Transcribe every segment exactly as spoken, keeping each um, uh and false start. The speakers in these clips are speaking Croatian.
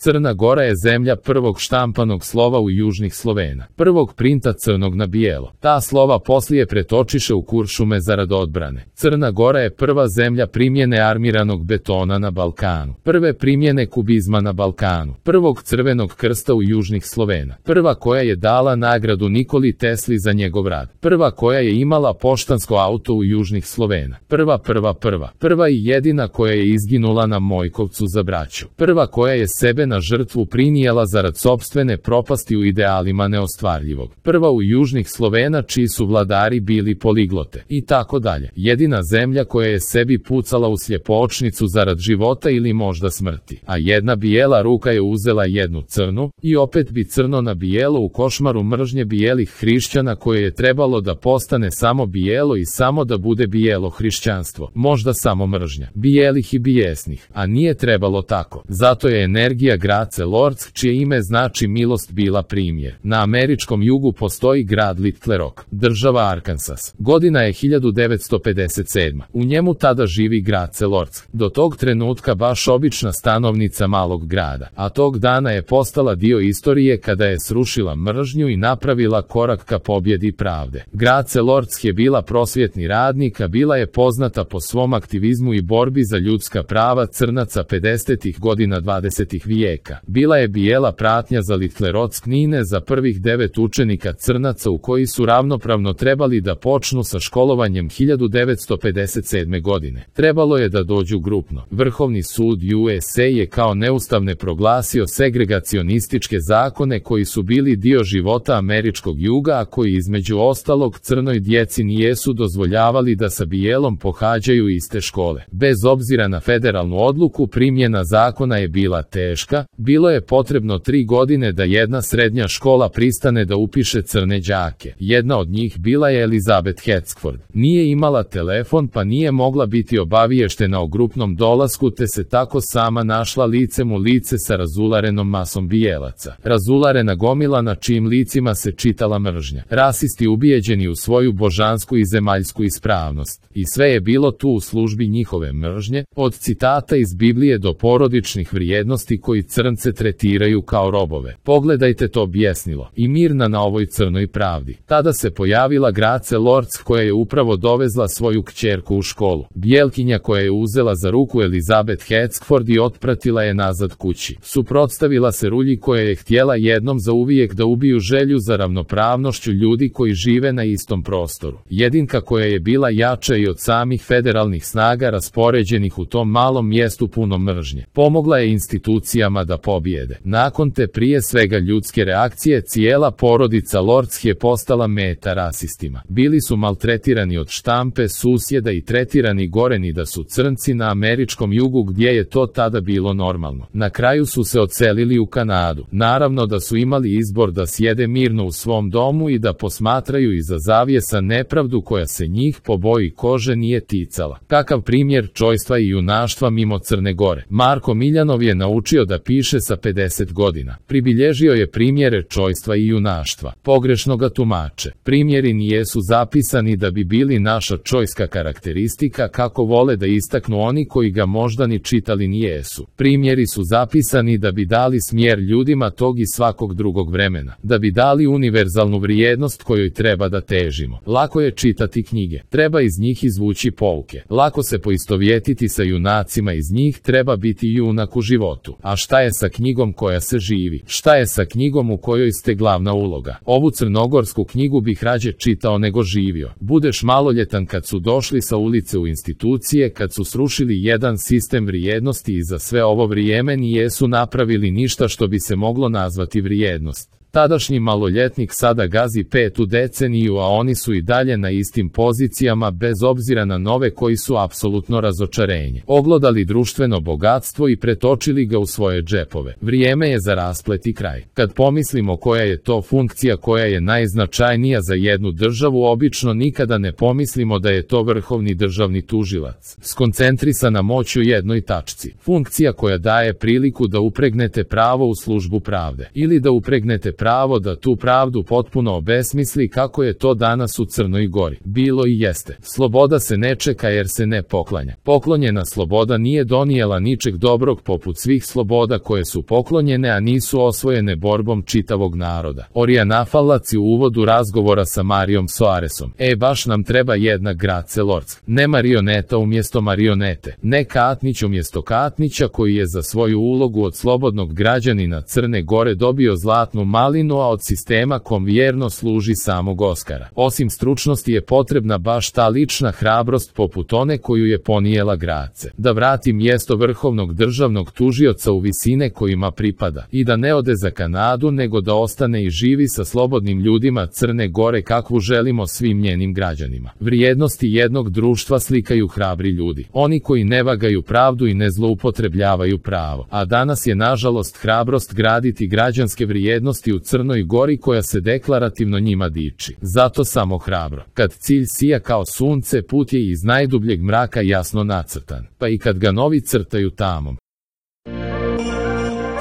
Crna Gora je zemlja prvog štampanog slova u južnih Slovena, prvog printa crnog na bijelo. Ta slova poslije pretočiše u kuršume zarad odbrane. Crna Gora je prva zemlja primjene armiranog betona na Balkanu, prve primjene kubizma na Balkanu, prvog crvenog krsta u južnih Slovena, prva koja je dala nagradu Nikoli Tesli za njegov rad, prva koja je imala poštansko auto u južnih Slovena, prva prva prva, prva i jedina koja je izginula na Mojkovcu za braću, prva koja je sebe na žrtvu prinijela zarad sopstvene propasti u idealima neostvarljivog, prva u južnih Slovena čiji su vladari bili poliglote, i tako dalje. Jedina zemlja koja je sebi pucala u sljepočnicu zarad života ili možda smrti, a jedna bijela ruka je uzela jednu crnu, i opet bi crno na bijelo u košmaru mržnje bijelih hrišćana koje je trebalo da postane samo bijelo i samo da bude bijelo hrišćanstvo, možda samo mržnja, bijelih i bijesnih, a nije trebalo tako. Zato je energija Grace Lords, čije ime znači milost, bila primjer. Na američkom jugu postoji grad Little Rock, država Arkansas. Godina je hiljadu devetsto pedeset sedma. U njemu tada živi Grace Lords, do tog trenutka baš obična stanovnica malog grada, a tog dana je postala dio istorije kada je srušila mržnju i napravila korak ka pobjedi pravde. Grace Lords je bila prosvjetni radnik, a bila je poznata po svom aktivizmu i borbi za ljudska prava crnaca pedesetih godina dvadesetog vijeka. Bila je bijela pratnja za litlerodsknine za prvih devet učenika crnaca u koji su ravnopravno trebali da počnu sa školovanjem hiljadu devetsto pedeset sedme godine. Trebalo je da dođu grupno. Vrhovni sud U S A je kao neustavne proglasio segregacionističke zakone koji su bili dio života američkog juga, a koji između ostalog crnoj djeci nijesu dozvoljavali da sa bijelom pohađaju iste škole. Bez obzira na federalnu odluku, primjena zakona je bila teška. Bilo je potrebno tri godine da jedna srednja škola pristane da upiše crne đake. Jedna od njih bila je Elizabeth Hetzford. Nije imala telefon, pa nije mogla biti obaviještena o grupnom dolasku, te se tako sama našla licem u lice sa razularenom masom bijelaca. Razularena gomila na čijim licima se čitala mržnja. Rasisti ubijeđeni u svoju božansku i zemaljsku ispravnost. I sve je bilo tu u službi njihove mržnje, od citata iz Biblije do porodičnih vrijednosti koji crnce tretiraju kao robove. Pogledajte to bjesnilo. I mirna na ovoj crnoj pravdi. Tada se pojavila Grace Lords koja je upravo dovezla svoju kćerku u školu. Bijelkinja koja je uzela za ruku Elizabeth Hetzford i otpratila je nazad kući. Suprotstavila se rulji koja je htjela jednom za uvijek da ubiju želju za ravnopravnošću ljudi koji žive na istom prostoru. Jedinka koja je bila jača i od samih federalnih snaga raspoređenih u tom malom mjestu puno mržnje. Pomogla je institucijama da pobjede. Nakon te prije svega ljudske reakcije, cijela porodica Lords je postala meta rasistima. Bili su maltretirani od štampe, susjeda i tretirani gore ni da su crnci na američkom jugu gdje je to tada bilo normalno. Na kraju su se odselili u Kanadu. Naravno da su imali izbor da sjede mirno u svom domu i da posmatraju iza zavjesa nepravdu koja se njih po boji kože nije ticala. Kakav primjer čojstva i junaštva mimo Crne Gore. Marko Miljanov je naučio da piše sa pedeset godina. Pribilježio je primjere čojstva i junaštva. Pogrešno ga tumače. Primjeri nijesu zapisani da bi bili naša čojska karakteristika kako vole da istaknu oni koji ga možda ni čitali nijesu. Primjeri su zapisani da bi dali smjer ljudima tog i svakog drugog vremena. Da bi dali univerzalnu vrijednost kojoj treba da težimo. Lako je čitati knjige. Treba iz njih izvući pouke. Lako se poistovjetiti sa junacima iz njih, treba biti junak u životu. A šta je sa knjigom koja se živi? Šta je sa knjigom u kojoj ste glavna uloga? Ovu crnogorsku knjigu bih rađe čitao nego živio. Budeš maloljetan kad su došli sa ulice u institucije, kad su srušili jedan sistem vrijednosti i za sve ovo vrijeme nijesu napravili ništa što bi se moglo nazvati vrijednost. Tadašnji maloljetnik sada gazi petu deceniju, a oni su i dalje na istim pozicijama bez obzira na nove koji su apsolutno razočarenje. Oglodali društveno bogatstvo i pretočili ga u svoje džepove. Vrijeme je za rasplet i kraj. Kad pomislimo koja je to funkcija koja je najznačajnija za jednu državu, obično nikada ne pomislimo da je to vrhovni državni tužilac. Skoncentrisana moć u jednoj tačci. Funkcija koja daje priliku da upregnete pravo u službu pravde. Ili da upregnete pravo da tu pravdu potpuno obesmisli kako je to danas u Crnoj Gori. Bilo i jeste. Sloboda se ne čeka jer se ne poklanja. Poklonjena sloboda nije donijela ničeg dobrog poput svih sloboda koje su poklonjene, a nisu osvojene borbom čitavog naroda. Oriana Fallac u uvodu razgovora sa Marijom Soaresom. E, baš nam treba jedna Grace Lords. Ne marioneta umjesto marionete. Ne Katnić umjesto Katnića koji je za svoju ulogu od slobodnog građanina Crne Gore dobio zlatnu malinu, a od sistema kom vjerno služi samog Oskara. Osim stručnosti je potrebna baš ta lična hrabrost poput one koju je ponijela Grace. Da vrati mjesto vrhovnog državnog tužioca u visine kojima pripada i da ne ode za Kanadu, nego da ostane i živi sa slobodnim ljudima Crne Gore kakvu želimo svim njenim građanima. Vrijednosti jednog društva slikaju hrabri ljudi. Oni koji ne vagaju pravdu i ne zloupotrebljavaju pravo. A danas je nažalost hrabrost graditi građanske vrijednosti u Crnoj Gori koja se deklarativno njima diči. Zato samo hrabro. Kad cilj sija kao sunce, put je iz najdubljeg mraka jasno nacrtan. Pa i kad ga novi crtaju tamom.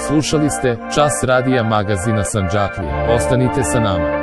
Slušali ste Čas radija magazina Sandžaklija. Ostanite sa nama.